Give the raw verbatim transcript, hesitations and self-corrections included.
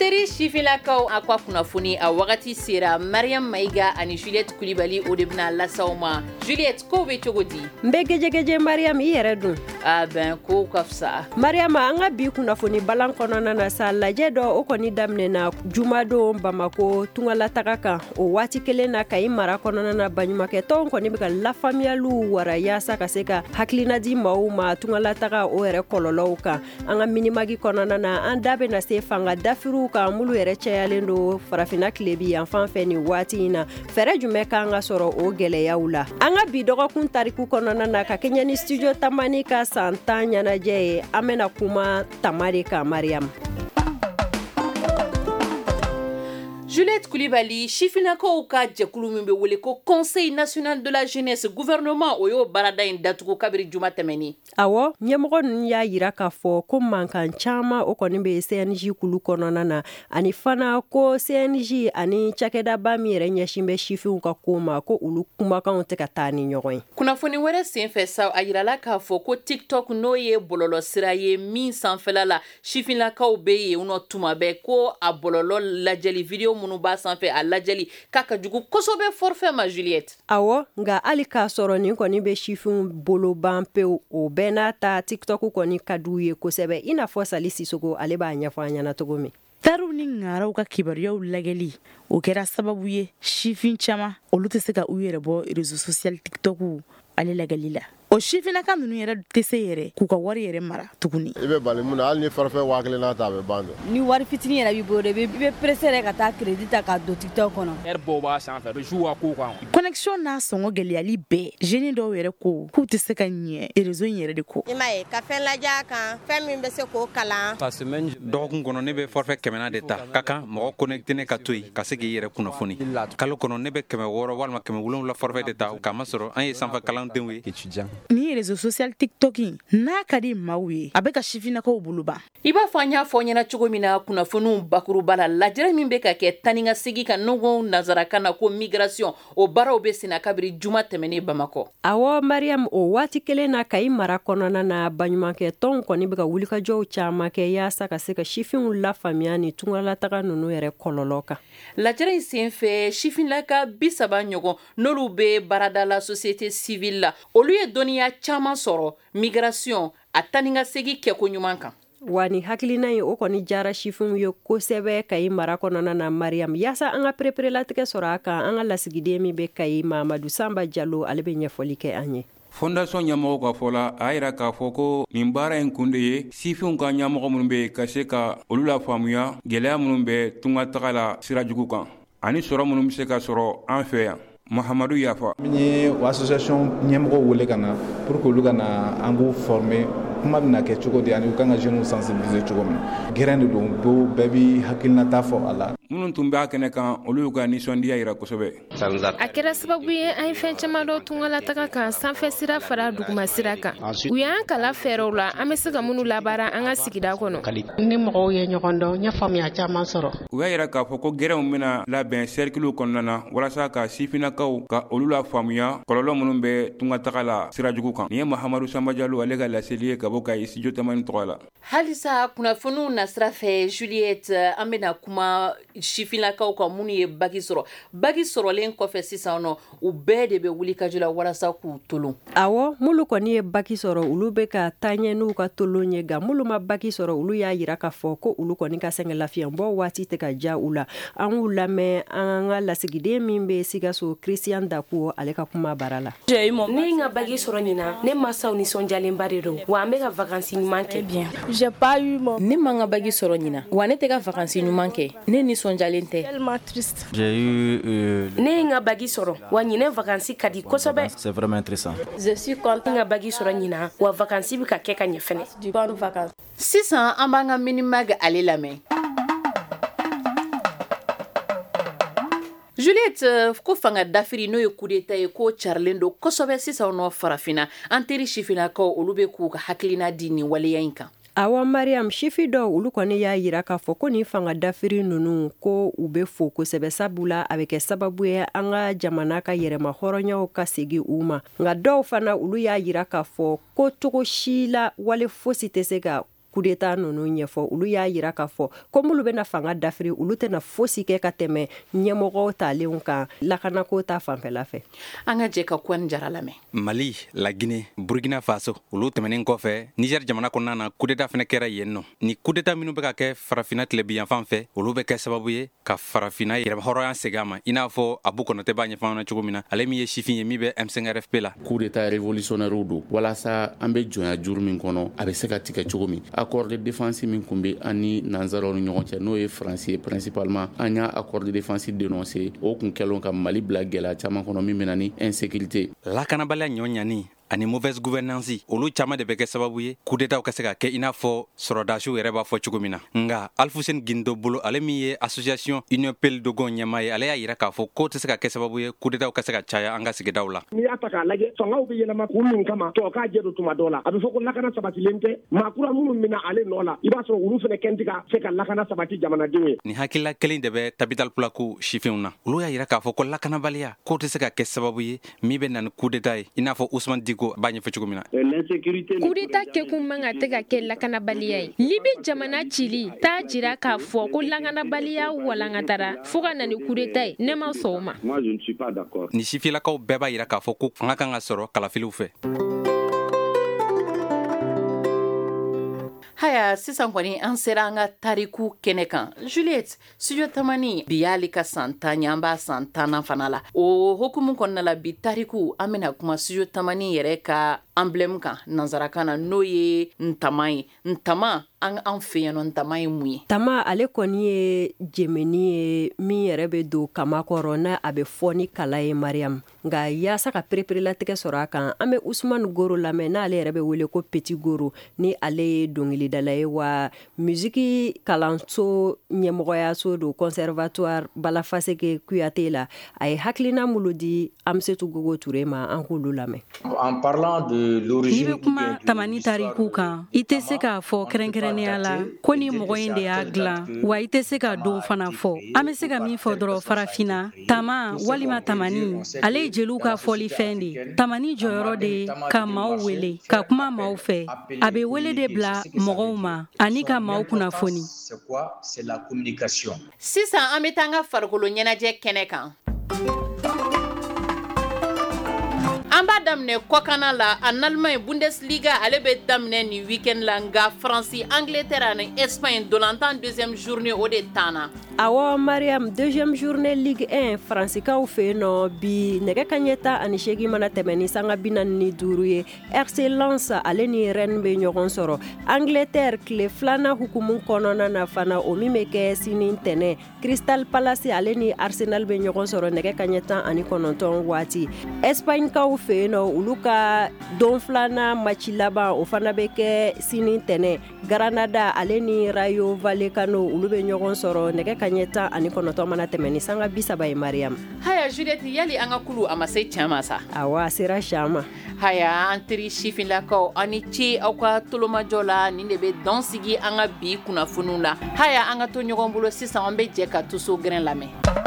teri sifinlakaw, a ka kunnafoni a wagati sera. Mariam Mayiga ani Juliette Kulibali, o de bɛna lasaw ma. Juliette, kow bɛ cogo di? N bɛ gɛjɛgɛjɛ Mariam, i yɛrɛ dun? A bɛn, kow ka fisa. Mariam, an ka bi kunnafoni balan kɔnɔna na sa, lajɛ dɔ o kɔni daminɛna jumadon Bamako tungalataga kan. O waati kelen na, Kayi mara kɔnɔna na, baɲumankɛtɔnw kɔni bɛ ka lafaamuyaliw wara yaasa ka se ka hakilina di maaw ma tungalataga o yɛrɛ kɔlɔlɔw kan. An ka minimagi kɔnɔna na, an da bɛna se fanga dafiriw kan minnu yɛrɛ cayalen don farafinna tilebi yan fan fɛ nin waati in na. Fɛɛrɛ jumɛn kan ka sɔrɔ o gɛlɛyaw la? An ka bi dɔgɔkun tariku kɔnɔna na, ka kɛɲɛ ni studio Tamani ka san tan ɲɛnajɛ ye, an bɛna kuma tama de kan, Mariam. Juliette Kulibali, sifinnakaw ka jɛkulu min bɛ wele ko Conseil national de la jeunesse, gouvernement o y'o baarada in datugu kabiri juma tɛmɛnen. Awɔ, ɲɛmɔgɔ ninnu y'a yira k'a fɔ ko mankan caman o kɔni bɛ C N J kulu kɔnɔna na, ani fana ko C N J ani cakɛdaba min yɛrɛ ɲɛsin bɛ sifinw ka ko ma, ko olu kumakanw tɛ ka taa ni ɲɔgɔn ye. Kunnafoni wɛrɛ senfɛ sa, a yirala k'a fɔ ko TikTok, n'o ye bɔlɔlɔsira ye min sanfɛla la sifinnakaw bɛ yen nɔ tuma bɛɛ, ko a bɔlɔlɔ lajɛli video minnu b'a sanfɛ, a lajɛli k'a ka jugu kosɛbɛ forfait ma, Juliette. Awɔ, nka hali k'a sɔrɔ nin kɔni bɛ sifinw bolo ban pewu, o bɛɛ n'a ta TikTok kɔni ka d'u ye kosɛbɛ, i n'a fɔ Sali Sisoko ale b'a ɲɛfɔ an ɲɛna cogo min. Tariw ni ŋaraw ka kibaruyaw lajɛli, o kɛra sababu ye sifin caman olu tɛ se ka u yɛrɛ bɔ réseau social TikTok ale lajɛli la. O sifinnaka ninnu yɛrɛ tɛ se yɛrɛ k'u ka wari yɛrɛ mara tuguni. I bɛ bali mun na, hali ni forfait waa kelen n'a ta, a bɛ ban dɛ. Ni wari fitinin yɛrɛ b'i bolo, i bɛ pressé yɛrɛ ka taa crédit ta k'a don TikTok kɔnɔ. Heure bɔw b'a sanfɛ, bɛ jouer a kow kan. Connexion n'a sɔngɔ gɛlɛyali bɛɛ, jeunes dɔw yɛrɛ ko k'u tɛ se ka ɲɛ réseau in yɛrɛ de kɔ. I m'a ye ka fɛn lajɛ a kan, fɛn min bɛ se k'o kalan. Dɔgɔkun kɔnɔ ne bɛ forfait kɛmɛ naani de ta, ka kan mɔgɔ connecté ne ka to yen ka se k'i yɛrɛ kunnafoni. Kalo kɔnɔ ne bɛ kɛmɛ wɔɔrɔ walima kɛmɛ wolonwula forfait de ta, k'a masɔrɔ an ye sanfɛ kalandenw ye. Ni réseau social TikTok in n'a ka di maaw ye, a bɛ ka sifinnakaw bolo ban. I b'a fɔ an y'a fɔ ɲɛna cogo min na kunnafoniw bakuruba la, lajɛrɛ min bɛ ka kɛ tan ni ka segin kan n'o nanzarakan na ko migration, o baaraw bɛ senna kabiri juma tɛmɛnen Bamakɔ. Awɔ Mariam, o waati kelen na Kayi mara kɔnɔna na, baɲumankɛtɔnw kɔni bɛ ka wulikajɔw caman kɛ yaasa ka se ka sifinw lafaamuya ni tungalataga ninnu yɛrɛ kɔlɔlɔ kan. Lajɛrɛ in senfɛ, sifinnaka bi saba ɲɔgɔn n'olu bɛ baarada la société civile la, olu ye dɔnniya caman sɔrɔ migration a tan ni ka segin kɛko ɲuman kan. Wa ni hakilina ye o kɔni jara sifinw ye kosɛbɛ Kayi mara kɔnɔna na, Mariam. Yaasa an ka pereperelatigɛ sɔrɔ a kan, an ka lasigiden min bɛ Kayi, Mamadu Sanba Jalo, ale bɛ ɲɛfɔli kɛ an ye. Fondation ɲɛmɔgɔw ka fɔ la, a y'a yira k'a fɔ ko nin baara in kun de ye sifinw ka ɲɛmɔgɔ minnu bɛ yen ka se ka olu lafaamuya gɛlɛya minnu bɛ tungataga la sira jugu kan ani sɔrɔ minnu bɛ se ka sɔrɔ an fɛ yan. Mahamadu Yafa. Min ye o association ɲɛmɔgɔw wele ka na pour que olu ka na an k'u former, kuma bɛna kɛ cogo di ani u kan ka jeunes sensibiliser cogo min. Gɛrɛn de don, bɛɛ b'i hakilinata fɔ a la. Minnu tun b'a kɛnɛ kan, olu y'u ka nisɔndiya yira kosɛbɛ. A kɛra sababu ye an ye fɛn caman dɔn tungalataga kan, sanfɛ sira fara duguma sira kan. U y'an kalan fɛɛrɛw la an bɛ se ka minnu labaara an ka sigida kɔnɔ. Ni mɔgɔw ye ɲɔgɔn dɔn, n ye faamuya caman sɔrɔ. U y'a yira k'a fɔ ko gɛrɛnw bɛna labɛn cercle kɔnɔna na walasa ka sifinnakaw ka olu la faamuya kɔlɔlɔ minnu bɛ tungataga la sira jugu kan. Nin ye Mahamadu Sanba Jalo ale ka laseli ye ka bɔ Kayi studio Tamani tɔgɔ la. Halisa kunnafoniw nasira fɛ, Juliette, an bɛna kuma sifinnakaw kan minnu ye baki sɔrɔ. Baki sɔrɔlen kɔfɛ sisan nɔ, u bɛɛ de bɛ wuli ka jɔ la walasa k'u tolon. Awɔ, minnu kɔni ye baki sɔrɔ, olu bɛ ka taa ɲɛ n'u ka tolon ye, nka minnu ma baki sɔrɔ, olu y'a yira k'a fɔ ko olu kɔni ka sɛgɛnlafiɲɛbɔ waati tɛ ka diya u la. An k'u lamɛn an ka lasigiden min bɛ Sikaso, Christian Dakuo, ale ka kuma bara la. Ne ye n ka baki sɔrɔ ɲinan, ne mansaw nisɔndiyalenba de don, wa an bɛ ka vacances ɲuman kɛ. Ne ma n ka baki sɔrɔ ɲinan, wa ne tɛ ka vacances ɲuman kɛ, ne nisɔndiyalen tɛ. Ne ye n ka baki sɔrɔ, wa ɲinɛ vacances ka di kosɛbɛ. C'est vraiment intéressant. Je suis content n ka baki sɔrɔ ɲinan, wa vacances bɛ ka kɛ ka ɲɛ fɛnɛ. Sisan an b'an ka minimag ale lamɛn. Juliette, ko fanga dafiri n'o ye coup d'état ye, ko carilen don kosɛbɛ sisan nɔ farafinna. An teri sifinnakaw olu bɛ k'u ka hakilina di nin waleya in kan. Awa Mariam, sifi dɔw olu kɔni y'a yira k'a fɔ ko nin fanga dafiri ninnu ko u bɛ fo kosɛbɛ, sabula a bɛ kɛ sababu ye an ka jamana ka yɛrɛma hɔrɔnyaw ka segin u ma. Nka dɔw fana olu y'a yira k'a fɔ ko cogo si la wale fosi tɛ se ka coup d'état ninnu ɲɛfɔ. Olu y'a yira k'a fɔ ko minnu bɛna fanga dafiri, olu tɛna fosi kɛ ka tɛmɛ ɲɛmɔgɔw talenw kan lakanako ta fanfɛla fɛ. An ka jɛ ka Kɔni Jara lamɛn. Mali, la Guinée, Burkina Faso, olu tɛmɛnen kɔfɛ, Niger jamana kɔnɔna na coup d'état fana kɛra yen nɔ. Ni coup d'état minnu bɛ ka kɛ farafinna tilebinyanfan fɛ, olu bɛ kɛ sababu ye ka farafinna yɛrɛhɔrɔnya segin a ma, i n'a fɔ Abu Kɔnɔtɛ b'a ɲɛfɔ an ɲɛna cogo min na, ale min ye sifin ye min bɛ M cinq R F P la. Coup d'état révolutionnaire don walasa an bɛ jɔnya juru min kɔnɔ a bɛ se ka tigɛ cogo min. Accord de défense min kun bɛ an ni nanzaraw ni ɲɔgɔn cɛ, n'o ye Faransi ye principalement, an y'a accord de défense dénoncé, o kun kɛlen ka Mali bila gɛlɛya caman kɔnɔ min bɛ na ni insécurité. Lakanabaliya ɲɔ ɲani ani mauvaise gouvernance, olu caman de bɛ kɛ sababu ye coup d'état ka se ka kɛ, i n'a fɔ sɔrɔdasiw yɛrɛ b'a fɔ cogo min na. Nka Alfuseni Gindo bolo, ale min ye association Union Peul Dogon ɲɛmaa ye, ale y'a yira k'a fɔ k'o tɛ se ka kɛ sababu ye coup d'état ka se ka caya an ka sigidaw la. N'i y'a ta k'a lajɛ, fangaw bɛ yɛlɛma kun min kama, tɔ k'a jɛ don tuma dɔ la, a bɛ fɔ ko lakana sabatilen tɛ. Maa kura minnu bɛna ale nɔ la, i b'a sɔrɔ olu fana kɛn tɛ ka se ka lakana sabati jamanadenw ye. Nin hakilila kelen de bɛ Tabital Pulaku sifinw na. Olu y'a yira k'a fɔ ko lakanabaliya k'o tɛ se ka kɛ sababu ye min bɛ na ni coup d'état ye, i n'a fɔ Ousmane Diko b'a ɲɛfɔ cogo min na. Coup d'état kɛkun man ka tɛ ka kɛ lakanabaliya ye. Libi jamana cili t'a jira k'a fɔ ko lakanabaliya walankatara fo ka na ni coup d'état ye. Ne ma sɔn o ma. Ni sifilakaw bɛɛ b'a yira k'a fɔ ko fanga kan ka sɔrɔ kalafiliw fɛ. Haya, sisan kɔni an sera an ka tariku kɛnɛ kan. Juliette, Studio Tamani bi y'ale ka san tan ye, an b'a san tannan fana la. O hokumu kɔnɔna la, bi tariku an bɛna kuma Studio Tamani yɛrɛ ka emblème kan nanzarakan na, n'o ye ntama ye. Ntama, an an fɛ yan nɔ, ntama ye mun ye? Tama ale kɔni ye jɛmɛni ye min yɛrɛ bɛ don kama kɔrɔ, n'a a bɛ fɔ ni kala ye, Mariam. Nka yaasa ka pereperelatigɛ sɔrɔ a kan, an bɛ Usumani Goro lamɛn, n'ale yɛrɛ bɛ wele ko Petit Goro, ni ale ye dɔnkilidala ye, wa musiki kalanso ɲɛmɔgɔyaso don conservatoire Balafaseke Kuyate la. A ye hakilina minnu di Amsetu Gogo Ture ma, an k'olu lamɛn. En parlant de N'i bɛ kuma tamani tariku kan, i tɛ se k'a fɔ kɛrɛnkɛrɛnnenya la ko ni mɔgɔ in de y'a dilan, wa i tɛ se ka don fana fɔ. An bɛ se ka min fɔ dɔrɔn, farafinna tama walima tamani, ale ye jeliw ka fɔlifɛn de ye. Tamani jɔyɔrɔ de ye ka maaw wele, ka kuma maaw fɛ. A bɛ wele de bila mɔgɔw ma ani ka maaw kunnafoni. Sisan an bɛ taa an ka farikolo ɲɛnajɛ kɛnɛ kan. An b'a daminɛ kɔkanna la, en Allemagne Bundesliga ale bɛ daminɛ nin week-end la, nka Faransi, Angleterre ani Espagne dolantan deuxième journée o de tanna. Awɔ Mariam, deuxième journée Ligue un Faransikaw fɛ yen nɔ bi nɛgɛ kanɲɛ tan ani seegin mana tɛmɛ ni sanga bi naani ni duuru ye, R C Lens ale ni Rennes bɛ ɲɔgɔn sɔrɔ. Angleterre tile filanan hukumu kɔnɔna na fana, o min bɛ kɛ sini ntɛnɛn, Crystal Palace ale ni Arsenal bɛ ɲɔgɔn sɔrɔ nɛgɛ kanɲɛ tan ani kɔnɔntɔn waati. Espagne kaw fɛ yen nɔ, olu ka don filanan match laban o fana bɛ kɛ sini ntɛnɛn, Granada ale ni Rayo Vallecano olu bɛ ɲɔgɔn sɔrɔ nɛgɛ kanɲɛ tan ani kɔnɔntɔn mana tɛmɛ ni sanga bi saba ye, Mariam. Haya Juliette, yali an ka kulu a ma se tiɲɛ ma sa? Awɔ, a sera siɲɛ ma. Haya, an teri sifinlakaw, aw ni ce aw ka tolomajɔ la. Nin de bɛ dan sigi an ka bi kunnafoniw la. Haya, an ka to ɲɔgɔn bolo sisan, an bɛ jɛ ka Tuso Gɛrɛn lamɛn.